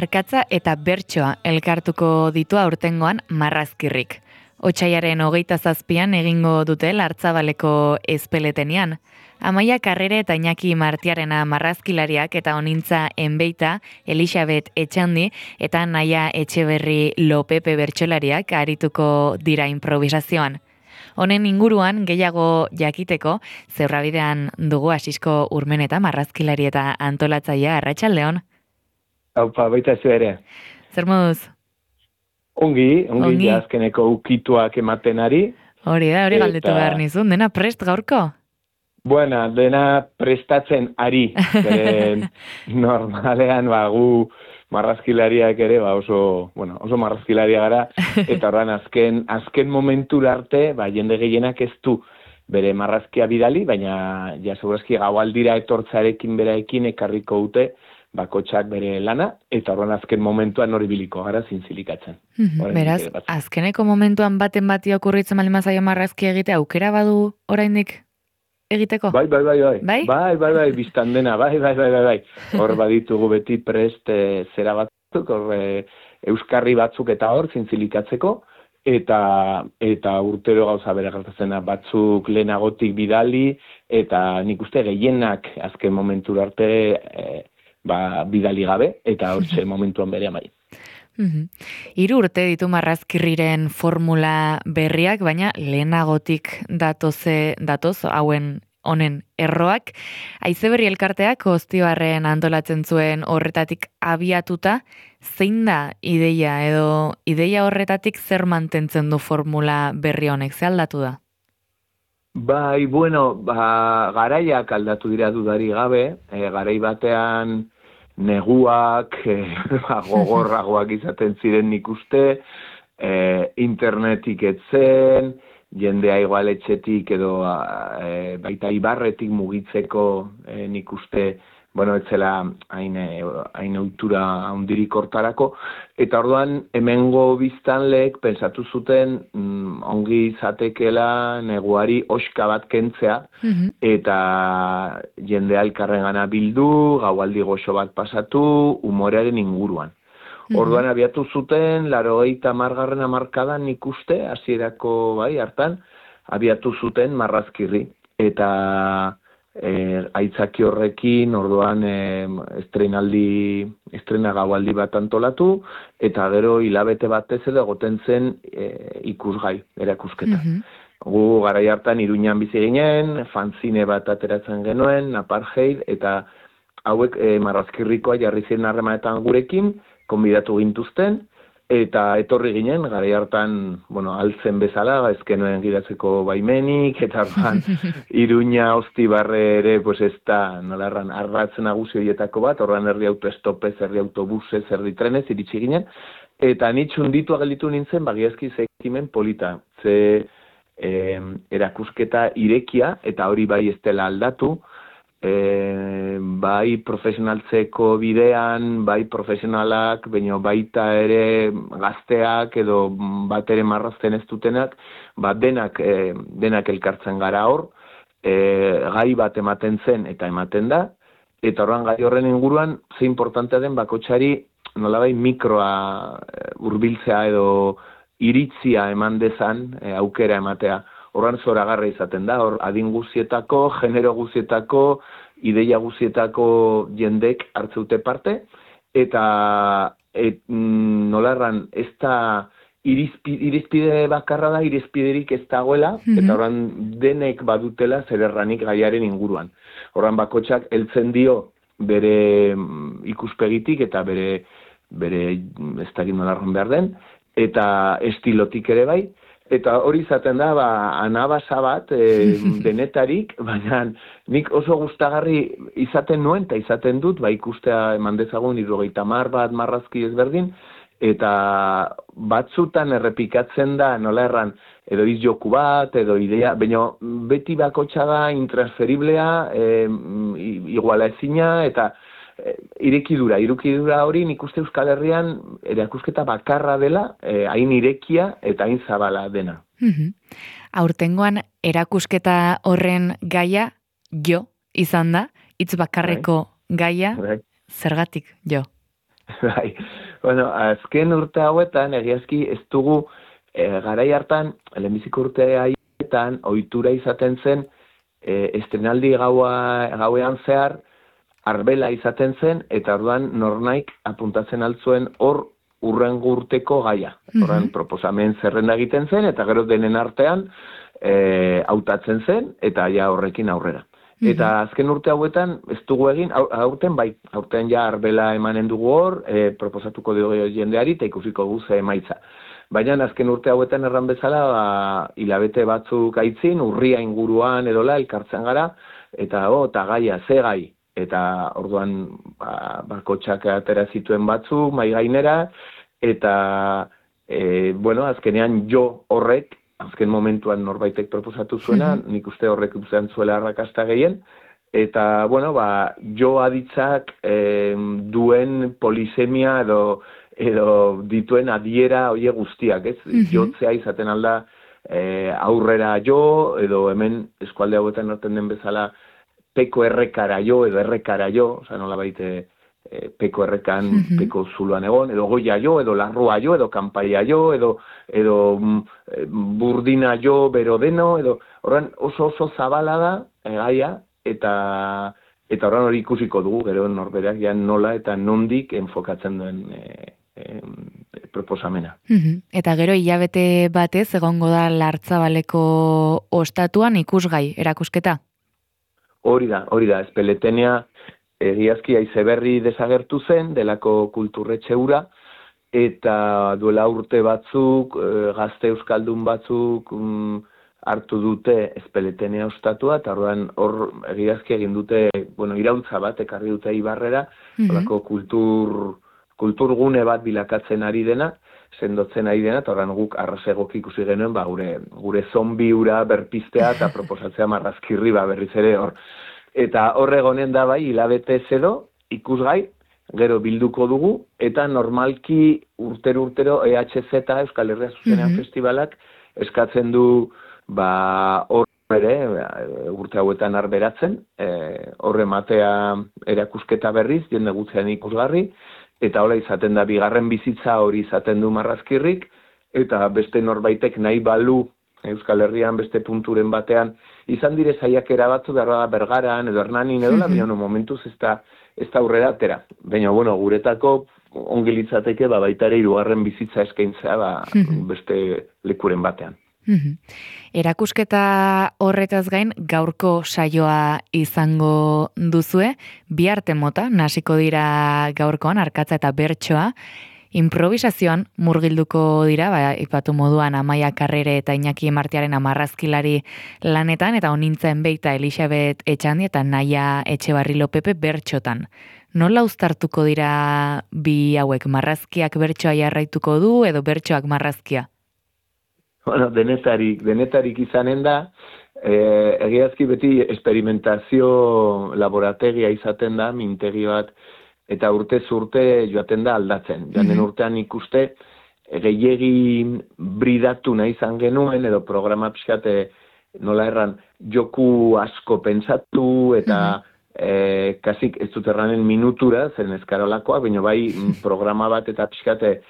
arkatza eta bertsoa elkartuko ditu aurtengoan Marrazkirrik. Otsaiaren 27an egingo dute Lartzabaleko ezpeletenean. Amaia Karrere eta Iñaki Martiarena marrazkilariak eta onintza enbeita, Elisabet Etxandi eta Naia Etxeberri Lopepe bertsolariak arituko dira improvisazioan. Honen inguruan gehiago jakiteko, Zeurrabidean dugu Asisko Urmeneta marrazkilari eta antolatzailea. Arratsaldeon. Aupa, baita zu ere. Zer moduz? Ongi, azkeneko ukituak ematen ari. Hori galdetu behar nizun, dena prest gaurko? Buena, dena prestatzen ari. Normalean, gu marrazkilariak ere, oso marrazkilaria gara, eta horren azken momentura arte, jende gehienak ez du bere marrazkia bidali, baina segurazki gaualdira etortzarekin beraekin ekarriko dute, bakotxak bere lana, eta horren azken momentuan hori biliko gara zintzilikatzen. Beraz, azkeneko momentuan baten bati okurritzen malimazaio marrazkia egitea, aukera badu oraindik egiteko? Bai, biztan dena, bai. Hor baditugu beti prest zera batzuk, euskarri batzuk eta hor zintzilikatzeko, eta urtero gauza bere gertatzena batzuk lehenagotik bidali, eta nik uste gehienak azken momentura arte bidali gabe, eta hortxe momentuan bere amai. 3 urte ditu Marrazkirriren formula berriak, baina lehenagotik datoz honen erroak. Haizeberri elkarteak Oztibarren antolatzen zuen horretatik abiatuta, zein da ideia edo ideia horretatik zer mantentzen du formula berri honek, ze aldatu da? Bai, garaiak aldatu dira dudari gabe, garai batean neguak, gogorragoak izaten ziren nik uste, internetik etzen, jendea igual etxetik edo baita ibarretik mugitzeko nik uste, etzela hain ohitura handirik hortarako, eta orduan hemengo biztanleek pensatu zuten ongi izatekela neguari oska bat kentzea, eta jendea elkarrengana bildu, gaualdi goxo bat pasatu, umorearen inguruan. Orduan abiatu zuten, 80. hamarkadan ikuste, hasierako hartan, abiatu zuten Marrazkirri. Eta aitzaki horrekin, orduan estrena gaualdi bat antolatu, eta gero hilabete batez edo egoten zen ikusgai, erakusketa. Gu garai hartan Iruñan bizi ginen, fanzine bat ateratzen genuen, Apartheid, eta hauek Marrazkirrikoa jarri ziren harremanetan gurekin, konbidatu gintuzten, eta etorri ginen, garai hartan, altzen bezala, ezkenuen gidatzeko baimenik, eta Iruña Oztibarre ere, ez da, nolarran, arratzen nagusi horietako bat, horran herri autoestopez, herri autobusez, herri trenez, iritsi ginen, eta nitxun ditu agelitu nintzen, bagiazki zekimen polita, ze erakusketa irekia, eta hori bai ez dela aldatu, bai profesionaltzeko bidean, bai profesionalak, baita ere gazteak edo bat ere marrazten ez dutenak, denak elkartzen gara hor, gai bat ematen zen eta ematen da, eta horren gai horren inguruan ze importantea den bakotxari nolabai mikroa hurbiltzea edo iritzia eman dezan aukera ematea. Horran zoragarra izaten da, hor adin guzietako, genero guzietako, ideia guzietako jendek hartzeute parte, eta nolarran ez da irizpide bakarra da, irizpiderik ez dagoela, eta horran denek badutela zer erranik gaiaren inguruan. Horran bakotxak heltzen dio bere ikuspegitik eta bere ez dakit nolarran behar den, eta estilotik ere bai, eta hori izaten da, anabasa bat denetarik, baina nik oso gustagarri izaten nuen, eta izaten dut, ikustea eman dezagun 70 bat marrazki ezberdin, eta batzutan errepikatzen da, nola erran, edo izjoku bat, edo idea, baina beti bakotxa da intransferiblea, iguala ezina, eta irekidura hori nik uste Euskal Herrian erakusketa bakarra dela, hain irekia eta hain zabala dena. Aurtengoan erakusketa horren gaia jo izan da, hitz bakarreko gaia, zergatik jo? Bai, bueno, azken urte hauetan, egiazki ez dugu garai hartan, lehenbiziko urte haietan, ohitura izaten zen, estrenaldi gauean zehar, arbela izaten zen, eta orduan nornaik apuntatzen altzuen hor urrengo urteko gaia. Horren proposamen zerrenda egiten zen, eta gero denen artean hautatzen zen, eta ja horrekin aurrera. Eta azken urte hauetan, ez dugu egin, aurten bai, aurten ja arbela emanen dugu hor, proposatuko dugu jendeari, eta ikusiko guze emaitza. Baina azken urte hauetan erran bezala, hilabete batzuk aitzin, urria inguruan edola, elkartzen gara, eta eta gaia, ze gai, eta orduan bakotxak atera zituen batzuk, mai gainera, eta bueno, azkenean jo horrek, azken momentuan norbaitek proposatu zuena, nik uste horrek uzan zuela arrakasta gehien, eta, bueno, jo aditzak duen polisemia edo dituen adiera oie guztiak, ez? Jotzea izaten alda aurrera jo, edo hemen eskualde hauetan norten den bezala peko errekara jo, edo errekara jo, oza, nola baite peko errekan, peko zuluan egon, edo goia jo, edo larrua jo, edo kanpaia jo, edo burdina jo, bero deno, edo horren oso zabala da, gaia, eta horren hori ikusiko dugu, gero norberak ja nola eta nondik enfokatzen duen proposamena. Eta gero hilabete batez egongo da Lartzabaleko ostatuan ikusgai, erakusketa? Hori da, Espeletenea egiazki Aizeberri desagertu zen, delako kulturretxe hura, eta duela urte batzuk, gazte euskaldun batzuk hartu dute Espeletenea ostatua, eta hor egiazki egin dute, bueno, iraultza bat, ekarri dute Ibarrera, delako kulturgune bat bilakatzen ari dena, sendotzen ari dena, eta horren guk arrasegok ikusi genuen, gure zombi hura berpiztea eta proposatzea Marrazkirri berriz ere hor. Eta horregonen da bai, hilabete edo, ikusgai, gero bilduko dugu, eta normalki urtero EHZ, Euskal Herria Zuzenean Festivalak, eskatzen du hor ere, urte hauetan arberatzen, horre matea erakusketa berriz, jende gutzean ikusgarri, eta hola izaten da bigarren bizitza hori izaten du Marrazkirrik, eta beste norbaitek nahi balu Euskal Herrian beste punturen batean, izan dire saiakera batzu da Bergaran edo Hernanin edo baina momentuz ez da aurrera atera. Baina, bueno, guretako ongi litzateke baita ere hirugarren bizitza eskaintzea beste lekuren batean. Erakusketa horretaz gain gaurko saioa izango duzue, bi arte mota nasiko dira gaurkoan, arkatza eta bertsoa. Improvisazioan murgilduko dira, ipatu moduan Amaia Karrere eta Iñaki Martiaren marrazkilari lanetan, eta honintzen beita Elisabet Etxandi eta Naia Etxebarri Lopepe bertxotan. Nola uztartuko dira bi hauek, marrazkiak bertsoa jarraituko du edo bertsoak marrazkia? Bueno, denetarik izanen da, egiazki beti experimentazio laborategia izaten da, mintegi bat, eta urtez urte joaten da aldatzen. Joanen urtean ikuste, gehiegi bridatu nahi izan genuen, edo programa pixkate, nola erran, joku asko pentsatu, eta kasik ez dut erranen minutura, zen eskarolakoa, baina bai programa bat eta pixkate,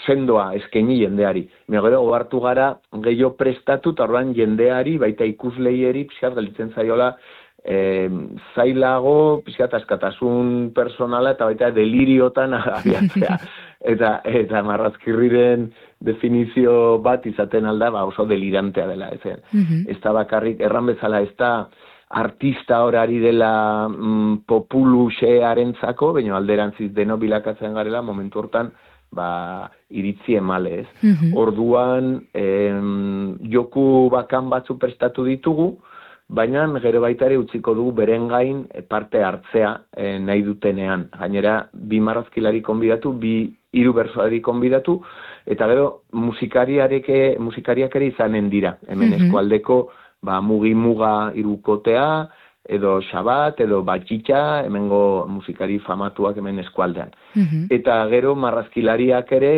sendoa eskaini jendeari. Gero ohartu gara gehiago prestatu, eta orduan jendeari, baita ikusleieri, pixkat galitzen zaiola, zailago, pixkat askatasun personala eta baita deliriotan abiatzea. Eta Marrazkirriren definizio bat izaten alda, oso delirantea dela. Ez da bakarrik, erran bezala, ez da artista horari dela populuxearentzako, baina alderantziz deno bilakatzen garela, momentu hortan, iritzi emale, ez? Orduan, joku bakan batzu prestatu ditugu, baina gero baita ere utziko dugu beren gain parte hartzea nahi dutenean. Gainera, bi marrazkilari konbidatu, hiru bertsolari konbidatu, eta gero musikariak ere izanen dira. Hemen eskualdeko mugi-muga irukotea, edo Xabat, edo Batxitxa, hemengo musikari famatuak hemen eskualdean. Eta gero marrazkilariak ere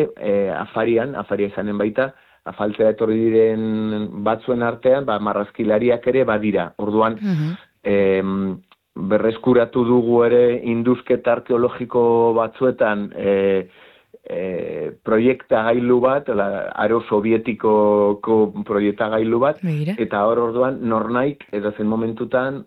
afaria izanen baita, afaltzea etorri diren batzuen artean, marrazkilariak ere badira. Orduan, berreskuratu dugu ere induzketa arkeologiko batzuetan proiektagailu bat, aro sovietikoko proiektagailu bat, Begira. eta orduan nornaik edozen momentutan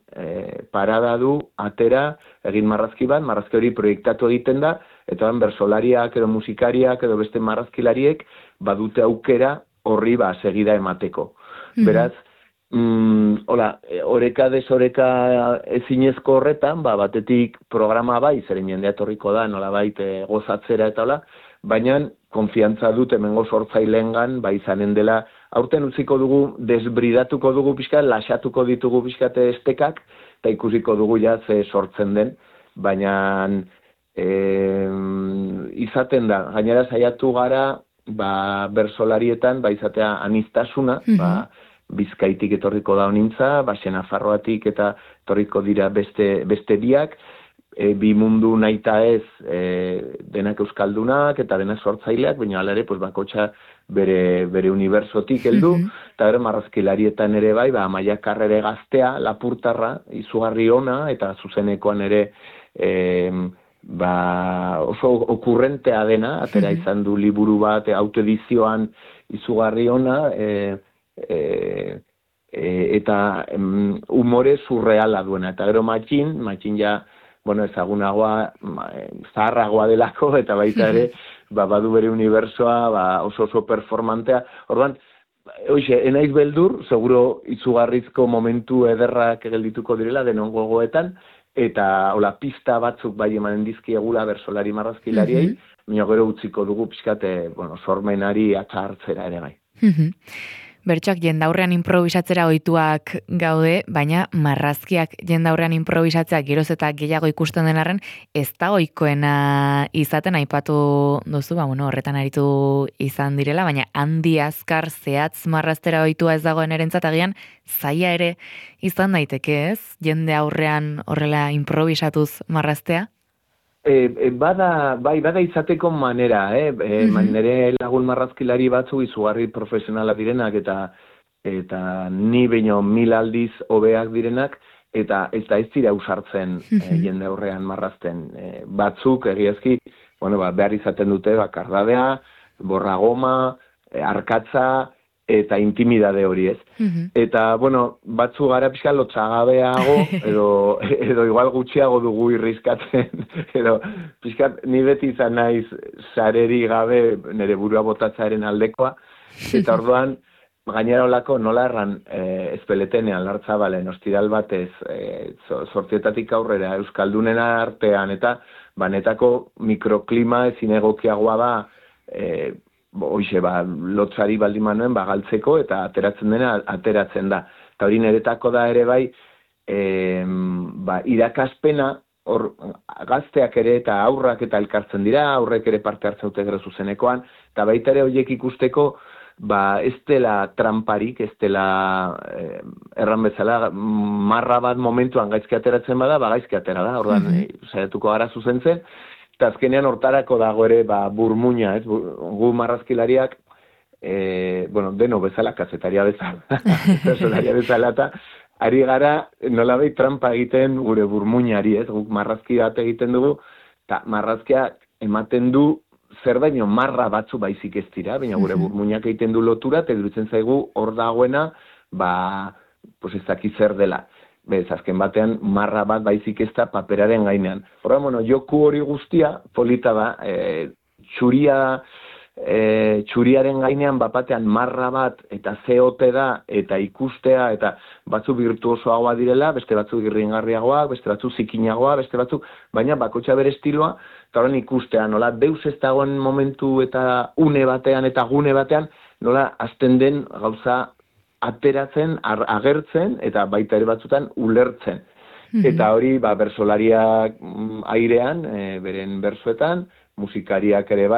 parada du, atera, egin marrazki bat, marrazki hori proiektatu egiten da, eta bersolariak edo musikariak edo beste marrazkilariek badute aukera horri segida emateko. Beraz, oreka desoreka ezinezko horretan, batetik programa bai, zeren jendea etorriko da, nolabait gozatzera eta hola, baina konfiantza dut hemengo sortzaileengan, izanen dela, aurten utziko dugu, desbridatuko dugu pixkat, lasatuko ditugu pixkat estekak, eta ikusiko dugu ze sortzen den, baina izaten da, gainera saiatu gara, bersolarietan, izatea aniztasuna, Bizkaitik etorriko da honintza, Nafarroatik eta etorriko dira beste biak, bi mundu nahita ez denak euskaldunak eta denak sortzaileak, baina hala ere bakotxa bere unibersotik heldu, eta bere marrazkilarietan ere Amaia Karrere gaztea, lapurtarra, izugarri ona, eta zuzenekoan ere oso okurrentea dena, atera izan du liburu bat, autoedizioan izugarri ona, eta umore surreala duena. Eta gero matxin ja, ezagunagoa, zaharragoa delako, eta baita ere, badu bere unibersoa, oso performantea. Orduan, enaiz beldur, seguro izugarrizko momentu ederrak geldituko direla, denon gogoetan, eta pista batzuk emanen dizkiegula bersolari marrazkilariei, baina gero utziko dugu pixkate, sormenari atxartzera ere bai. Bertsoak jendaurrean improvisatzera ohituak gaude, baina marrazkiak jendaurrean improvisatzea geroz eta gehiago ikusten den arren, ez da ohikoena izaten, aipatu duzu, horretan aritu izan direla, baina handi azkar zehatz marraztera ohitua ez dagoen erentzat agian, zaila ere izan daiteke ez, jende aurrean horrela improvisatuz marraztea? Bada izateko manera, nire lagun marrazkilari batzu izugarri profesionala direnak eta ni baino 1000 aldiz hobeak direnak, eta ez dira ausartzen jende aurrean marrazten. Batzuk egiazki, behar izaten dute kardadea, borragoma, arkatza, eta intimidade hori ez. Eta, batzu gara pixka lotzagabeago, edo igual gutxiago dugu irrizkatzen, edo pixka ni beti izan naiz sareri gabe nire burua botatzaaren aldekoa, eta orduan, gainera olako nola erran ezpeletenean, Lartzabalen, ostiral batez, sortzietatik aurrera, euskaldunen artean, eta banetako mikroklima ezin egokiagoa da, lotzari baldin manuen galtzeko eta ateratzen dena ateratzen da. Eta hori niretako da ere irakaspena, gazteak ere eta aurrak eta elkartzen dira, aurrek ere parte hartzen dute gero zuzenekoan, eta baita ere horiek ikusteko, ez dela tramparik, ez dela erran bezala, marra bat momentuan gaizki ateratzen bada, gaizki atera da, orduan saiatuko gara zuzentzen, eta azkenean hortarako dago ere burmuina, ez? Gu marrazkilariak, deno bezala, kazetaria bezala, personaria bezala, eta ari gara nolabait trampa egiten gure burmuinari, ez? Guk marrazki bat egiten dugu, eta marrazkia ematen du zer baino marra batzu baizik ez dira, baina gure burmuinak egiten du lotura, eta iruditzen zaigu hor dagoena, ez dakit zer dela. Bez, azken batean, marra bat baizik ez da paperaren gainean. Horra, joku hori guztia, polita da, txuriaren gainean bapatean marra bat eta zeote da, eta ikustea, eta batzu virtuosoagoa direla, beste batzu irringarriagoa, beste batzu zikinagoa, beste batzu, baina bakotxa bere estiloa, eta horren ikustea, nola, deus ez dagoen momentu eta une batean eta gune batean, nola, azten den gauza ateratzen, agertzen, eta baita ere batzutan ulertzen. Eta hori, bersolariak airean, beren bersoetan, musikariak ere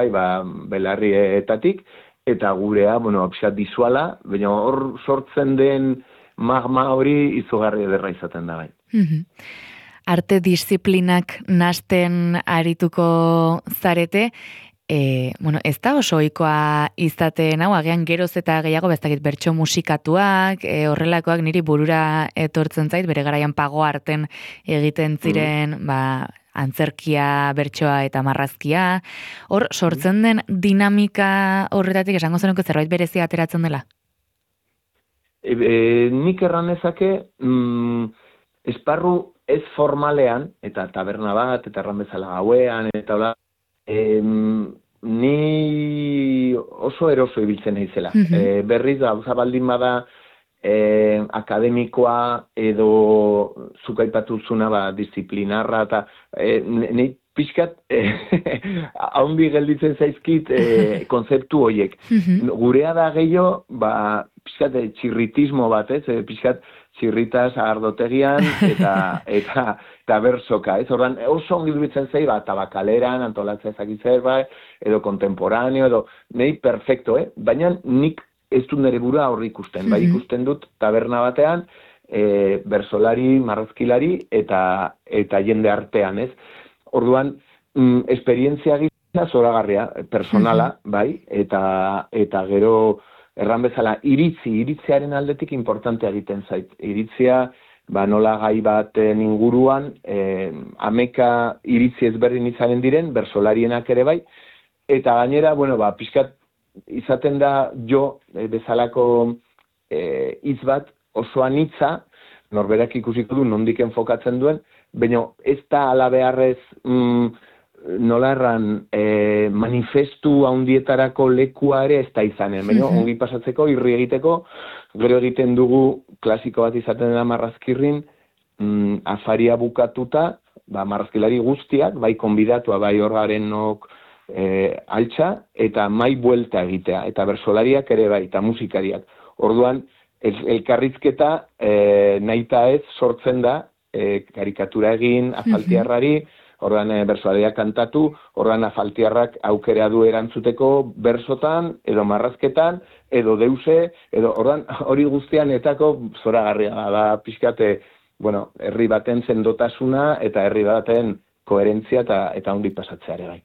belarrietatik, eta gurea, pixat dizuala, baina hor sortzen den magma hori izugarri ederra izaten da bai. Arte disiplinak nasten arituko zarete, Bueno, ez da oso ohikoa izaten hau, agian geroz eta gehiago bezakit bertso musikatuak, horrelakoak niri burura etortzen zait, bere garaian Pago Arten egiten ziren, antzerkia, bertsoa eta marrazkia. Hor, sortzen den dinamika horretatik esango zenuke zerbait berezia ateratzen dela? Nik erran ezake, esparru ez formalean, eta taberna bat, eta erran bezala gauean, eta hola, ni oso eroso ibiltzen naizela. Berriz, gauza baldin bada akademikoa edo zuk aipatu zuna disiplinarra, eta ni pixkat haundi gelditzen zaizkit konzeptu horiek. Gurea da gehiago, pixkat txirritismo bat, pixkat txirritas ardotegian eta bersoka, Ordan oso ongi duitzen zei, tabakaleran, antolatzea ezakitzer, edo kontemporaneo, edo nahi perfecto, baina nik ez dut nire burua horri ikusten, ikusten dut taberna batean, bersolari, marrazkilari eta jende artean, Orduan, esperientzia gisa zoragarria, personala, eta gero erran bezala, iritziaren aldetik importantea egiten zait. Iritzia, nola gai baten inguruan, ameka iritzi ezberdin izanen diren, bersolarienak ere bai, eta gainera, pixkat, izaten da jo, bezalako hitz bat oso anitza, norberak ikusiko du nondik enfokatzen duen, baina ez da ala beharrez nola erran manifestu handietarako lekua ere ez da izanen, baina ongi pasatzeko, irri egiteko, gero egiten dugu klasiko bat izaten dela marrazkirrin, afaria bukatuta, marrazkilari guztiak, bai konbidatua, bai horgarenok altxa, eta mai buelta egitea, eta bersolariak ere bai, eta musikariak. Orduan, elkarrizketa nahita ez sortzen da, karikatura egin, afaltiarrari, ordan bersolariak kantatu, ordan afaltiarrak aukera du erantzuteko bersotan, edo marrazketan, edo deuse, edo ordan hori guztian etako zoragarria da, pixkate, herri baten sendotasuna eta herri baten koherentzia eta ondi pasatzea ere bai.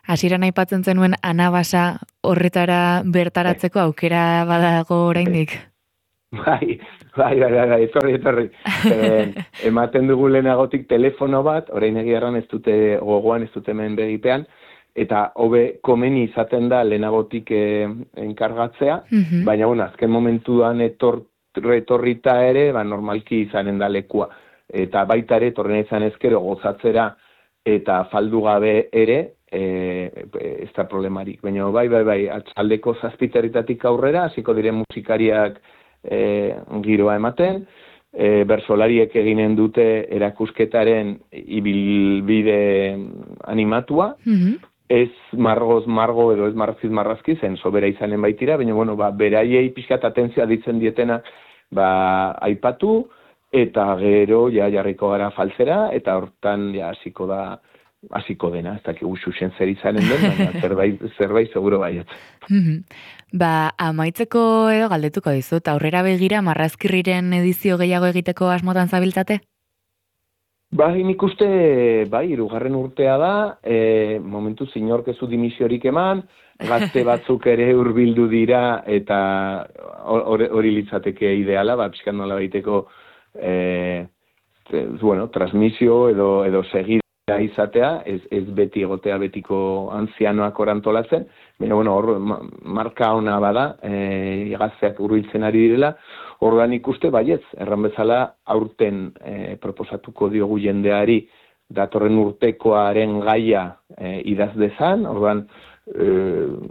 Hasieran aipatzen zenuen anabasa horretara bertaratzeko aukera badago oraindik? Bai, etorri. Ematen dugu lehenagotik telefono bat, orain egiarran ez dute gogoan, ez dute hemen begipean, eta hobe komeni izaten da lehenagotik enkargatzea, baina azken momentuan etorrita ere, normalki izanen da lekua. Eta baita ere, torren izan ezkero gozatzera eta faldu gabe ere, ez da problemarik. Baina bai, atxaldeko zazpiterritatik aurrera, hasiko diren musikariak giroa ematen, bersolariek eginen dute erakusketaren ibilbide animatua, ez margoz margo edo ez marrazkiz marrazki, zen sobera izanen baitira, baina beraiei pixkat atentzioa ditzen dietena aipatu, eta gero jarriko gara faltzera, eta hortan hasiko dena, ez dakik ususen zer izanen den, baina zerbait seguro baiet. Amaitzeko edo galdetuko dizut, aurrera begira marrazkirriren edizio gehiago egiteko asmotan zabiltzate? Nik uste, hirugarren urtea da, momentu zinork ez du dimisiorik eman, gazte batzuk ere hurbildu dira, eta hori litzateke ideala, pixkan nola baiteko transmisio edo segida izatea, ez beti egotea betiko antzianoak orantolatzen, baina hor marka ona bada, gazteak hurbiltzen ari direla, orduan ikuste baietz, erran bezala aurten proposatuko diogu jendeari datorren urtekoaren gaia idaz dezan, orduan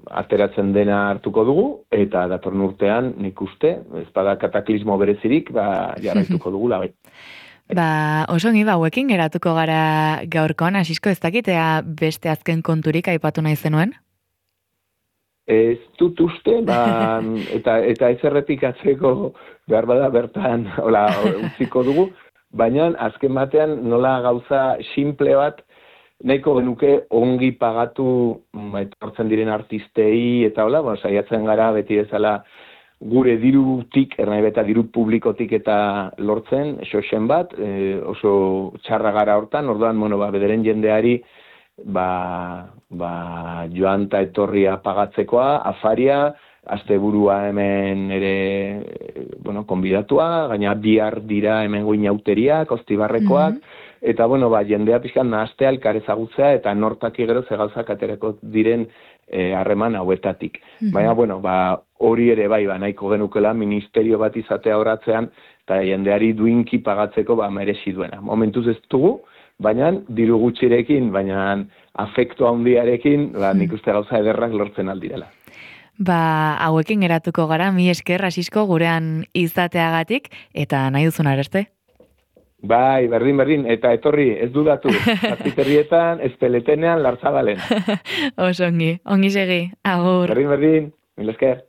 ateratzen dena hartuko dugu, eta datorren urtean nik uste, ez bada kataklismo berezirik, jarraituko dugula bai. Oso ongi, hauekin geratuko gara gaurkoan, Asisko ez dakitea beste azken konturik aipatu nahi zenuen? Ez dut uste, eta ez errepikatzeko behar bada bertan utziko dugu, baina azken batean nola gauza simple bat nahiko genuke ongi pagatu etortzen diren artistei eta saiatzen gara beti bezala gure dirutik, ernai diru publikotik eta lortzen, xoxen bat, oso txarra gara hortan, orduan, bederen jendeari joan eta etorria pagatzekoa, afaria, asteburua hemen ere, konbidatua, gaina bihar dira hemen goinauteriak, ostibarrekoak, eta, jendea pixkan nahaztea, elkar ezagutzea, eta nortak gero zegauzak aterako diren harreman hauetatik. Baina, hori ere nahiko genukela ministerio bat izatea horatzean, eta jendeari duinki pagatzeko merezi duena. Momentuz ez dugu, baina diru gutxirekin, baina afektu handiarekin, nik uste gauza ederrak lortzen aldirela. Hauekin geratuko gara, mi esker Asisko gurean izateagatik, eta nahi duzun areste? Bai, berdin, eta etorri, ez dudatu, Azpiterrietan, Ezpeletenean, Lartzabalen. Oso ongi segi, agur. Berdin, mil esker.